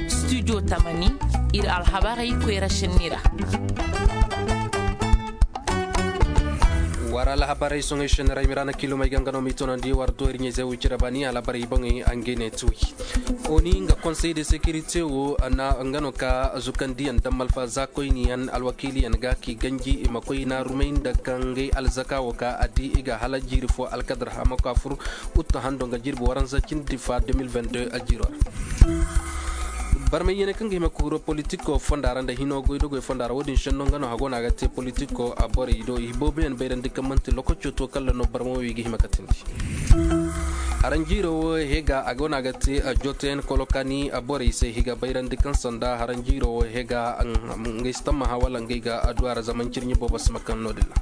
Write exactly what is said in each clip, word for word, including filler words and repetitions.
Studio tamani, ir alhabarey koyra šenni ra. War alhabarey soŋey šenni ra i ma ra na kilomey ga nga no m'i toonandi war do ir ɲayzey wo cire baani alhabarey boŋey a ngey ne ti wi. Oni nga konsey de sekirite wo, nga no ka zukandiyaŋ daŋ malfa za koyniyaŋ alwakiiliyaŋ ga k'i ganji i ma koy naarumey nda kaŋ ngey alzaka wo ka a di i ga hala jiiri fo alkadar hama ka fur. Ut hando nga jirbi waranza cindi fa deux mille vingt-deux a jiiro ra. Barmay yene kaŋ ga hima ka huro politiko fonda ra nda hino goydogoy fonda ra wo-din senno nga no hago no a ga te politiko a borey do i booboyaŋ bayrandi kaŋ manti lokaco to kala no barma wo i ga hima ka tindi. Haranjiiro wo hega a go no a ga te jotoyaŋ kolokani borey se i ga bayrandi kaŋ sanda haranjiiro wo hega ngey si tammaha wala ngey ga adduwa ra zama ncirɲi boobo si ma kaŋ no-din ra.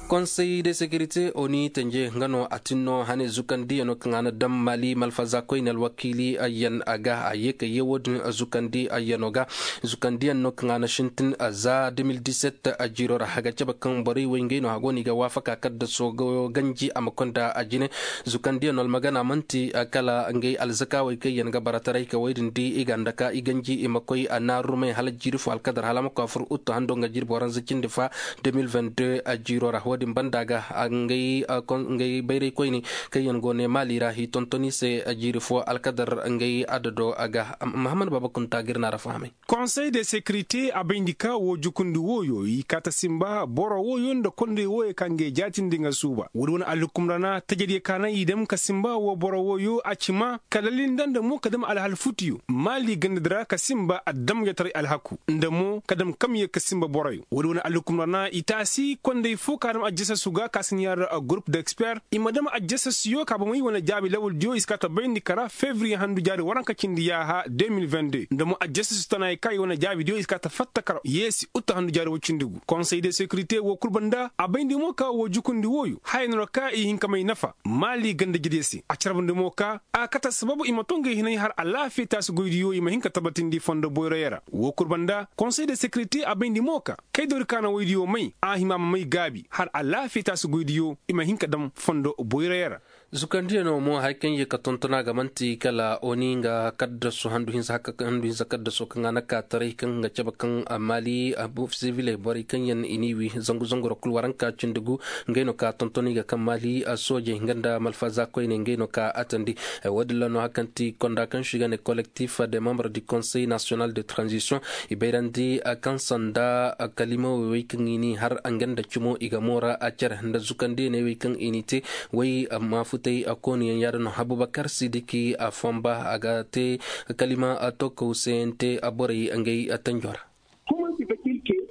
Konsey de sekirite oni tenje nga no a tin no hane zukandiyano kaŋ a na daŋ mali malfaza koyne alwakiili ayyan a ga a ye ka ye wo-din zukandi ayyano ga. Zukandiyaŋ no kaŋ a na sintin za deux mille dix-sept a jiiro ra a ga cabe kaŋ borey wey ngey no a go no i ga waafaka kaddaso ganji a ma konda a jine. Zukandiyaŋ no almagana manti kala ngey alzakaawey kaŋ yaŋ ga barataray ka wey din di i ga nda ka i ganji i ma koy a naarumey hala jiiri fo alkadar hala a ma koy a fur uttu hando nga jirbi waranza cindi fa deux mille vingt-deux a jiiro ra wo-din banda ga ngey bayraykoyne kaŋ yaŋ go ne maali ra i tonton i se jiiri fo alkadar ngey adado a ga. Mahamad baaba kunta ga ir na ra fahamay. Konsey de sekirite a bayndi ka wo jukundi wooyo i kaa ta simba boro wooyo nda kondey wooyo ka ngey jaatindi nga suuba woodi wane alhukum ra na tajadiyo ka na i dam ka simba wo boro wooyo a ci ma ka lalli nda nda mo ka dam alhal futiyo maali gandadi ra ka simba adamjataray alhaku nda mo ka dam kamyo ka simba boroyo woodi wane alhukum ra na i taasi kondey fo ka dam aljasas ga ka si na yaada gurup d'expert i ma dam aljasasiyo ka bomey wane jaabi lawaldiyo i si kaa ta bayndi kara fevriye handu jaari waranka cindi yaaha deux mille vingt-deux nda mo aljasasi tanaayey ka i wane jaabidiyo i si kaa ta fatta kara yeesi uta handu jaari woy cindi gu konsey de sekirite woo kul banda a bayndi mo ka woo jukundi wooyo haya no ra ka i hin ka may nafa maali ganda-ijediyo se a carbandi mo ka a kate sababu i ma too ngey hinay har alaafiya taasi goydiyo i ma hin ka tabatindi fondo boyroyo ra woo kul banda konsey de sekirite a bayndi mo ka kay doori ka na woydiyo may a hima ma may gaabi har alaafiya taasi goydiyo i ma hin ka dam fondo boyroyo ra. Zukandiyano mo hari kaŋ ye ka tonton a ga man'ti kala oni nga kaddasu handu hinza kaddaso kaŋ a na ka taray kaŋ ga cabe kaŋ maali siviley borey kaŋ yaŋ i n'i wi zangu zangu ra kul waranka cindi gu. Ngey no ka tonton i ga kaŋ maali soojey nga nda malfaza koyne ngey no ka atandi. Woodin ra no hari kaŋ ti konda kaŋ se i ga ne kolektif de membre du konsey nasiyonal de tranzisiyoŋ i bayrandi kaŋ sanda kalimawey wey kaŋ i n'i har nga nda cimo i ga moora a care nda zukandiyaney wey kaŋ i n'i te. Wey maafutey kooniyaŋ yaadin no abubakar sidiki a fonba a ga te kalima tokkow seyante borey ngey tanjo ra.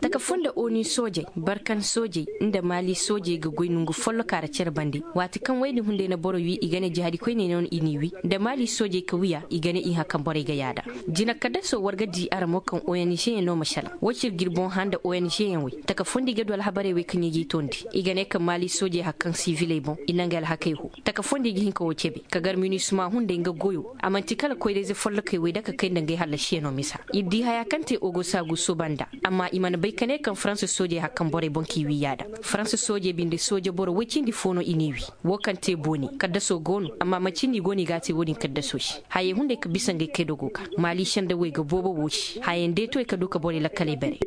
Taka fo nda oni soojey barkan soojey nda maali soojey ga goy nongu folloka ra care bande waati kaŋ wey din hunday na boro wi i ga ne jihadi koyney no i n'i wi nda maali soojey ka wiya i ga ne i hã kaŋ borey ga yaada. Jina kaddaso war ga di ara mo kaŋ ong yaŋ no ma salaŋ woo cir ga ir boŋ hã nda ong yaŋ wey taka fo nda i ga du alhabarey wey kaŋ i g'i toondi i ga ne kaŋ maali soojey hari kaŋ siviley boŋ i naŋ ga alhakey hoo. Taka fo nda i ga hin ka woo cebe ka gar minisma hunday nga goyo a man'ti kala koyra-ize follokey wey nda ka kay nda ngey hallasiyanoo misa. Ir di hayaa kaŋ te ogosagu suuba nda amma i mana bay ka ne kaŋ faransa soojey hari kaŋ borey boŋ k'i wi yaada. Faransa soojey binde sooje boro woy cindi fo no i n'i wi. Woo kaŋ te booni kaddasoo go no amma man'ti nda i go no i g'a te woo-din kaddasoo se hayey hunday ka bisa ngey kay dogo ga maali sendawey ga boobo woo se hayey ndeetowey ka du ka borey lakkaley bare.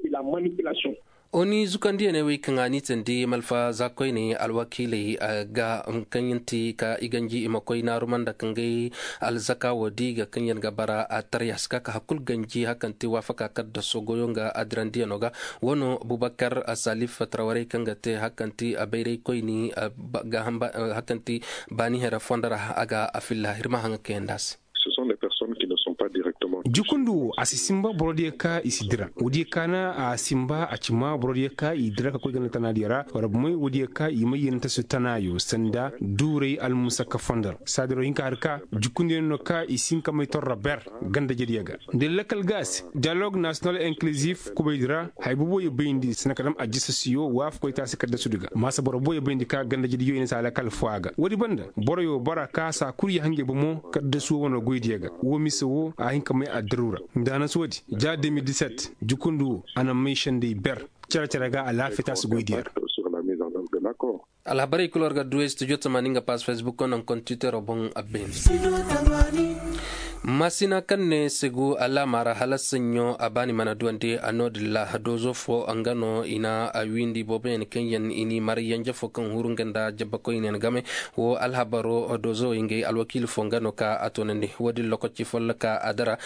Oni zukandiyaney wey kaŋ a n'i teendi malfa za koyney alwakiiley ga kaŋ yaŋ ti ka i ganji i ma koy naaruma nda ka ngey alzaka woo di ga kaŋ yaŋ ga bara a tarya si ka ka hari kul ganji hari kaŋ ti waafaka kaŋ da sogoyo nga adirandiyanoo ga. Woo no bubakar salif tarawarey kaŋ ga te hari kaŋ ti bayraykoyni hari kaŋ ti baani here fondo ra a ga a filla ir ma haŋa kayandi a se. Jukundi wo a si sinba borodiyo ka i si dira woodiyo ka na a sinba a ci ma borodiyo ka i dira ka koy ganda tanaadiyo ra wala bomey woodiyo ka i may yeenante su tanaayo sanda duuray almusakka fondo ra saadiro hinka har ka jukundiyo no ka i si hin ka may torro ber ganda jediyo ga nda lakal ga a se diyalog nasiyonal inkilizif kubaydi ra haya boobo ye bayndi sanda ka dam aljasasiyo waafakoy taasi kaddasudi ga maasa boro boobo ye bayndi ka ganda jediyo i na se a lakal foo a ga woodi banda boroyo bora ka saa kul ya hanjey bomo kaddasu woo wane goydiyo ga woo mise woo a hin ka may addaru ra nda a na se woodi ja deux mille dix-sept jukundi woo a na may sendey ber cere-cere ga alaafiya taasi goydiyo ra. Alhabarey kul war ga du studio tamaani nga paas facebook naŋ kontitero boŋ a beene. Maasina kaŋ ne segu alaama ra hala saɲɲo a baani mana duwandi a no-din ra doozo fo nga no i na a wiindi booboyaŋ kaŋ yaŋ i n'i mara yanje fo kaŋ huru nga nda jabbakoyneyaŋ game. Wo alhabaro doozo ngey alwakiili fo nga no ka a toonandi wo-din lokaci folloka a dara.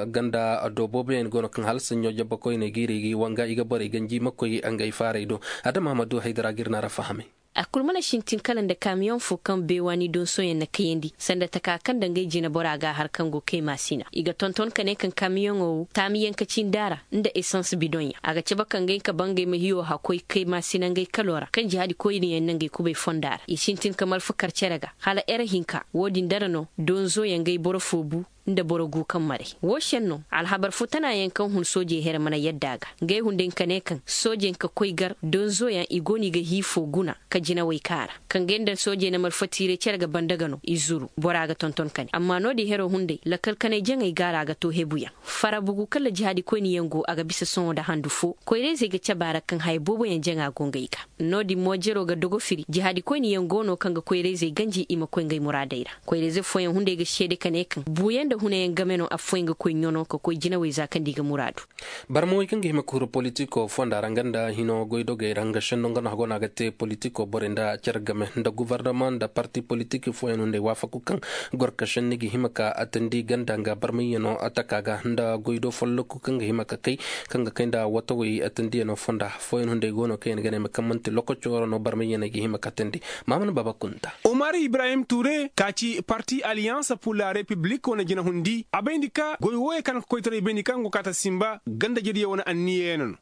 Ganda do booboyaŋ go no kaŋ hala saɲɲo jabbakoyney ga ir i ga i wanga i ga borey ganji ma koy ngey faarey do. Adama hamadu haydara ga ir na ra fahamay. A kul mana sintin kala nda kamiyoŋ fo kaŋ beewaani donsoyaŋ na kayandi sanda taka kaŋ nda ngey jinabora ga a har kaŋ go kay maasina i ga tonton ka ne kaŋ kamiyoŋo wo taamiyaŋ ka cindi a ra nda esans bidoŋyaŋ a ga cabe ka ngey ka bangey ma hiyo hakoy kay maasina ngey kalo ra kaŋ jihaadi koyniyaŋ na ngey kubay fonda ra i sintin ka malfa kar cere ga hala ere hinka wo-din dara no donzoyaŋ ngey boro fo bu nda boro gu kaŋ maray wo seŋ no alhabar fo tana yaŋ kaŋ hun soojey here mana yadda a ga ngey hunday ka ne kaŋ soojey ka koy gar donzo yaŋ i go no i ga hiifo guna ka jinawey kaara kaŋ gay nda soojey na malfatiiray cere ga banda ga no i zuru bora ga tonton kane amma no-din hero hunday lakal kanay jaŋey gaara ga to hebu yaŋ fara bugu kala jihaadi koyni yaŋ go a ga bisa sohõ nda handu fo koyrayzey ga cabe a ra kaŋ haya boobo yaŋ jaŋa go ngey ga no-din mo jero ga dogo firi jihaadi koyni yaŋ go no kaŋ ga koyrayzey ganji i ma koy ngey muraadey ra koyrayze fooyaŋ hunday ga seede ka ne kaŋ buuyaŋ nda hunayaŋ game no affooyaŋ ga koy ɲano ka koy jinawey za kaŋ nda i ga muraadu. Barmawey kaŋ ga hima ka huru politiko fonda ra nga nda hino goydogey ra nga senno nga no a go no a ga te politiko borey nda care game nda guvarnama nda parti politik fooyaŋ hunday waafaku kaŋ gorka senni ga hima ka atandi ganda nga barmayyano taka ga nda goydo folloku kaŋ ga hima ka kay kaŋ ga kay nda watawey atandiyano fonda fooyaŋ hunday go no kaŋ yaŋ ga ne ma kaŋ manti lokaco ra no barmayyaney ga hima ka atandi. Maamana baaba kunta. Umar ibrahim ture ka ci parti alliyanse pur la repiblik wane jinahundi a bayndi ka goy wooyey kaŋ ka koytaray bayndi kaŋ go kaata sinba ganda jadiyo wane anniyayaŋ no.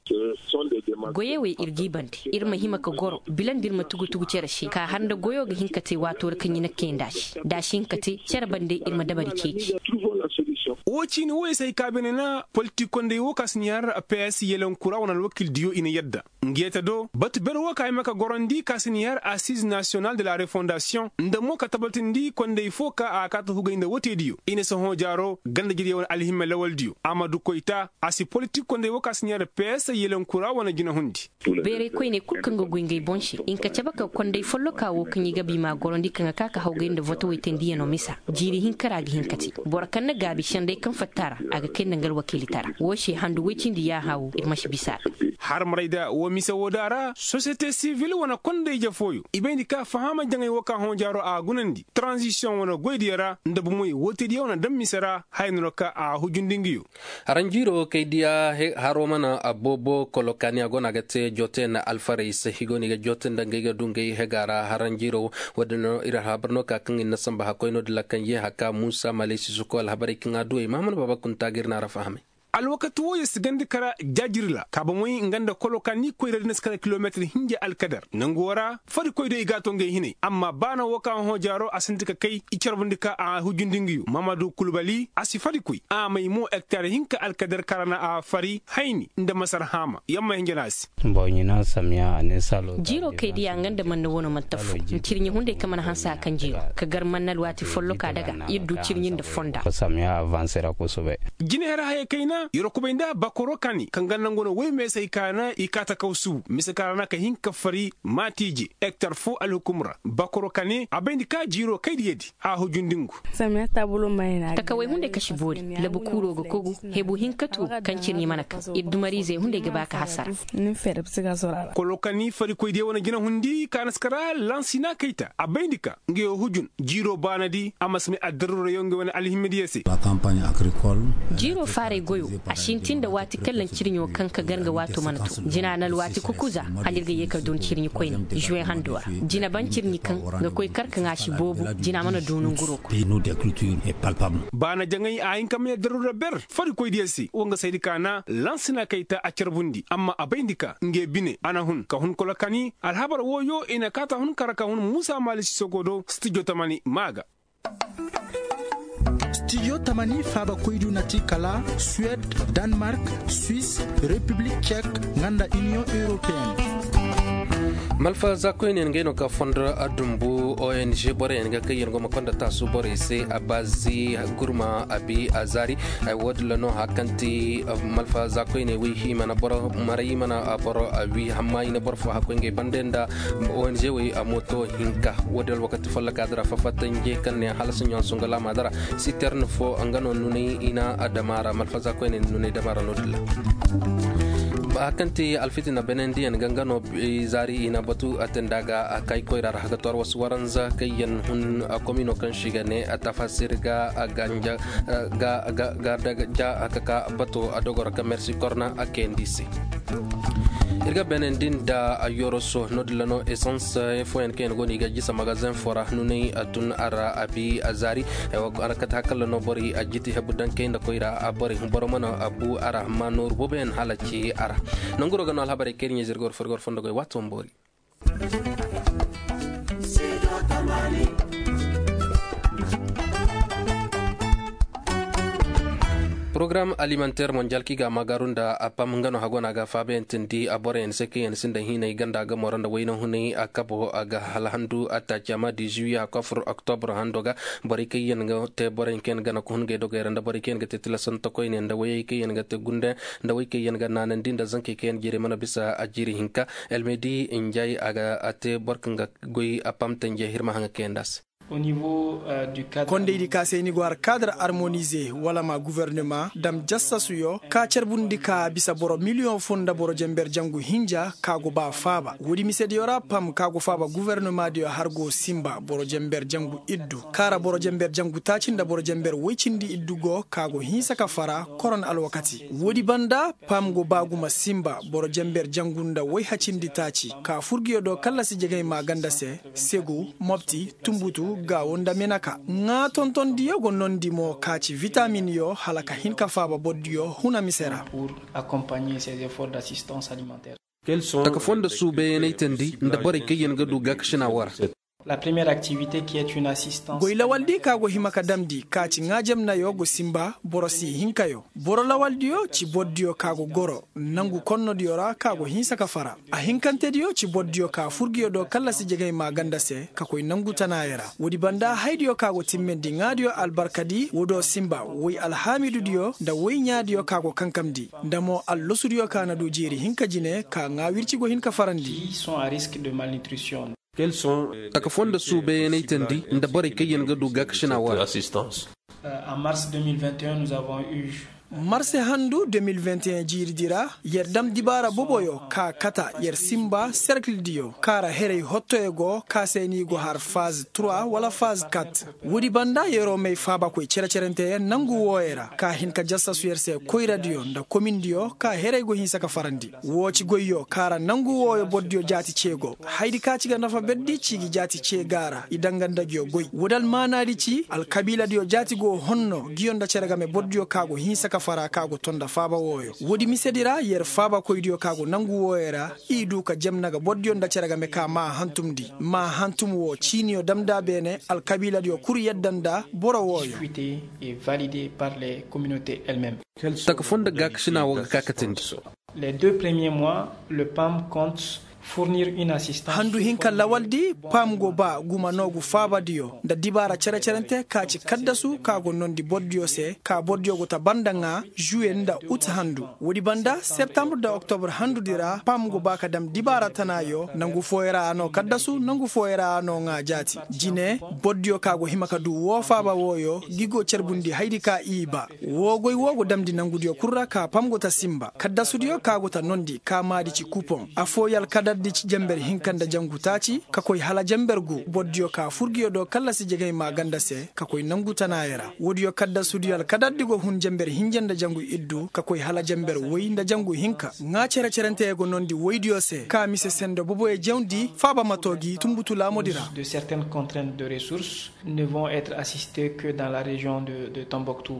Goyey wey ir g'i bande ir ma hima ka goro bila nda ir ma tugu-tugu cere se ka har nda goyo ga hin ka te waato ra kaŋ ɲina kayandi a se da a si hin ka te cere bande ir ma dabari ceeci. Woo ciini wooyey se ay ka beene na politik konday woo ka si ni har ps yelankura wane alwakildiyo i na yadda. Ngeeta do batu ber woo ka hima ka gorandi ka si ni har assiz nasiyonal de la refondasiyoŋ nda mo ka tabatindi konday fo ka a kaata hugay nda woteediyo i na sohõ jaaro ganda jadiyo wane alhimme lawaldiyo a ma du koyta a si politik konday woo ka si ni har ps yelankura wane jinahundi. Beeray koyney kul kaŋ ga goy ngey boŋ se i na ka cabe ka konday folloka woo kaŋ i ga ba i m'a gorandi kaŋ ga ka ka hawgay nda votowey teendiyaŋo misa jiiri hinka ra a ga hin ka te boro kaŋ na gaabi senday kaŋ fatta ra a ga kay nda nga alwakiilitara woo se handu woy cindi yaaha woo ir ma si bisa a ra. Harmarayda woo mise woo da ra sosiyete sivil wane konday jafooyo i bayndi ka fahaama jaŋay woo ka hõ jaaro a gunandi taranzisiyoŋ wane goydiyo ra nda bomoy wooteediyo wane daŋ mise ra haya no ra ka a hujundi nga yo. Haranjiiro kay diya haro mana a boobo kolokaani a go no a ga te joote nda alfarey se i go no i ga joote nda ngey ga du ngey hega ra haranjiiro wo- din no ir alhabar no ka kaŋ ir na samba hakkoy no- din ra kaŋ ye haka muusa maley sisoko alhabarey kaŋ a du ay mahamad baaba kunta ga ir na ra fahamay. Alwakati wooyo si gandi kara jaajiri ra kaaba moy nga nda kolokaani koyra din si kara kilometir hinja alkadar nangu woo ra farikoy do i g'a to ngey hinay amma ba na woo ka hõ jaaro a sinti ka kay i carbundi ka a hujundi nga yo mamadu kulbali a si farikoy a may mo hektar hinka alkadar ka ra na a fari hayni nda masar haama yamma hinja no a se. Jiiroo kay diya nga nda manna wano man tafo. Ncirɲi hunday ka mana hanse a kaŋ jiiroo ka gar manna alwaati folloka daga ir du cirɲi nda fonda. Jineher hayey kayna yeroo kubay nda bakoroo kaani kaŋ ga nangu no woy meesey kaana i kaata kaw suubu mise kaŋ ra na ka hin ka fari maati ije hektar foo alhukum ra bakoroo kaani a bayndi ka jiiroo kay diyadi a hujundi ngu. Takawey hunday ka si boori labu kuuroo ga kogu hebu hinkatu kaŋ cirɲi mana kaŋ ir dumariizey hunday ga ba ka hasara. Kolokani farikoydiyo wane jinahundi kaanaskara lansina kayta a bayndi ka nga yo hujun jiiro baanadi a ma si may addaruurayo nga wane alhimmidiyo se. Jiiro faaray goyo a sintin nda waati kaŋ laŋ cirɲo kaŋ ka gar nga waato mana to jina na alwaati kukuza hala ir ga ye ka dooni cirɲi koyne žuwe hando ra jina ban cirɲi kaŋ ga koy kar kaŋ a si boobo jina mana dooni nguro koy. Baana jaŋay a hin ka may addaruura ber farikoydiyo se wa nga saydi ka na lansina kayta a carbundi amma a bayndi ka nga bine a na hun ka hun kolokani alhabar wooyo i na kaata hun kara ka hun muusa maali sisogo do stijo tamani maa ga. Stijo tamani faabakoydu na ti kala suwed, danmark, swis, repiblik cek nga nda iniyoŋ europeyenne. Malfa zaakoyne yaŋ ngey no ka fondo dumbu ong borey yaŋ ga kaŋ yaŋ go ma konda taasu borey se a baazi gurma a bi a zaari. Ay wo- din ra no hari kaŋ ti malfa zaakoyne wey i mana boro maray i mana boro wi hamma i na boro fo hakkoy ngey bande nda ong wey a mooto hinka. Wo- din alwakati folloka dira fafatanje kaŋ ne hala saɲõ sunga laama dira siterne fo nga no nunay i na dama ra malfa zaakoyne nunay dama ra no- din ra. Hari kaŋ ti alfitina benendiyaŋ ga nga no zaari i na batu a te nda ga a kay koyra ra hagator wasu waranza kaŋ yaŋ hun a komino kaŋ si ga ne a tafasir ga a ganja ga daga ja a kaka bato a dogoro ka mersi korna a kayandi se. Ir ga benendin da a yoroso no- din ra no esans fooyaŋ kaŋ yaŋ go no i ga jisa magazin fo ra nunay a tun a ra a bi a zaari. Ay wa a ra kate hakalla no borey a jiti hebu daŋ kay nda koyra a borey boro mana a bu a ra amma nooru booboyaŋ hala ci a ra. Nanguro ga no alhabarey kaŋ ir ɲa zirgor furgor fondo goy waato ma boori. Porogaram alimanteer monjal kaŋ i ga a maagaaru nda a pam nga no hago no a ga a faabayaŋ tindi a boroyaŋ se kaŋ yaŋ sinda hinay ganda gamo ra nda wayna hunay a kabo a ga hala handu a taaci a ma di zuwiye a kofur oktobur hando ga. Borey kaŋ yaŋ ga te boroyaŋ kaŋ yaŋ ga na ka hun ngey dogey ra nda borey kaŋ yaŋ ga te tilasante koyne nda wayey kaŋ yaŋ ga te gunde nda wey kaŋ yaŋ ga naanandi nda zankey kaŋ yaŋ jiiri mana bisa a jiiri hinka. Elmedi njay a ga a te boro kaŋ ga goy a pam tanje hirma haŋa kaŋ yaŋ nda a se. Kondaydi ka se ni go har kaadar armonize wala ma guvernema dam jassasuyo ka carbundi ka bisa boro miliyoŋ fo nda boro jenber jangu hinja ka go ba faaba woodi misediyo ra pam ka go faaba guvernema diyo har go simba boro jenber jangu iddu ka ra boro jenber jangu taaci nda boro jenber woy cindi iddu go ka go hinsa ka fara koron alwakati. Woodi banda pam go ba gumo simba boro jenber jangu nda woy hacindi taaci ka furgiyo do kallasi jegay maaganda se, segu, mopti, tumbutu, gaawo nda menaka. Ŋaa tontondiyo go nondi mo ka ci vitaminyo hala ka hin ka faaba bordiyo huna mise ra. Taka foo nda suubayanay tandi nda borey kaŋ yaŋ ga du gaakasina wo ra. Goy lawaldi ka go hima ka damndi ka ci ŋaajamnayo go sinba boro si hinkayo. Boro lawaldiyo ci bordiyo ka go goro nangu konnodiyo ra ka go hinsa ka fara. A hinkantediyo ci bordiyo ka furgiyo do kallasi jegay maaganda se ka koy nangu tanaayo ra. Woodi banda haydiyo ka go timmendi ŋaadiyo albarkadi woo do sinba woy alhaamidudiyo nda woy ɲaadiyo ka go kankamndi nda mo allosudiyo ka na du jeeri hinka jine ka ŋaa wirci go hin ka farandi. Taka foo nda suubayanay tandi nda borey kaŋ yaŋ ga du gaakasina wo ra. Marse handu de mil vingt et un jiiridi ra yer dam dibaara boboyo ka kata yer sinba serkildiyo ka ra heray hottoyo go ka se ni go har faz trois wala faz kat. Woodi banda yeroo may faabakoy cere-cerenteyaŋ nangu wooyo ra ka hin ka jassasu yer se koyradiyo nda komindiyo ka heray go hinsa ka farandi. Woo ci goyyo ka ra nangu wooyo bordiyo jaati cee go. Haydi ka ci ga nafa berdi ci gi jaati cee ga ra i danga nda nguyo goy woodi almaanaadi ci alkabiiladiyo jaati go honno nguyo nda cere game bordiyo ka go hinsa ka fara ka go to nda faaba wooyo. Woodi misedi ra yer faabakoydiyo ka go nangu wooyo ra i du ka jemna ga bordiyo nda cere game ka maa hantumndi maa hantum woo ciiniyo damnda beene alkabiiladiyo kul yadda nda boro wooyo. Taka foo nda gaakasina woo ga ka katandi. Les deux premiers mois le pam compte fournir une assistance. Handu hinka lawaldi pam go ba guma noogu faabadiyo nda dibaara cere-cerente ka ci kaddasu ka go noondi bordiyo se ka bordiyo go ta banda ŋaa juwe nda ut handu. Woodi banda septembre nda oktobur handudi ra pam go ba ka dam dibaara tanaayo nangu fooyo ra a noo kaddasu nangu fooyo ra a noo ŋaa jaati jine. Bordiyo ka go hima ka du woo faaba wooyo ngi go carbundi haydi ka i ba. Woo goy woo go damndi nangudiyo kul ra ka pam go ta sinba kaddasudiyo ka go ta noondi ka maadi ci kupoŋ affooyo alkadardi ci jenber hinka nda jangu taaci ka koy hala jenber gu bordiyo ka furgiyo do kallasi jegay maaganda se ka koy nangu tanaayo ra woodiyo kaddasudiyo alkadardi go hun jenber hinja nda jangu iddu ka koy hala jenber woy nda jangu hinka. Ŋaa cere-cerenteyo go noondi woydiyo se ka mise sendo boboyo jawndi faaba ma too gi tunbutu laamodi ra. De certaines contraintes de ressources ne vont être assistés que dans la région de tombouctou.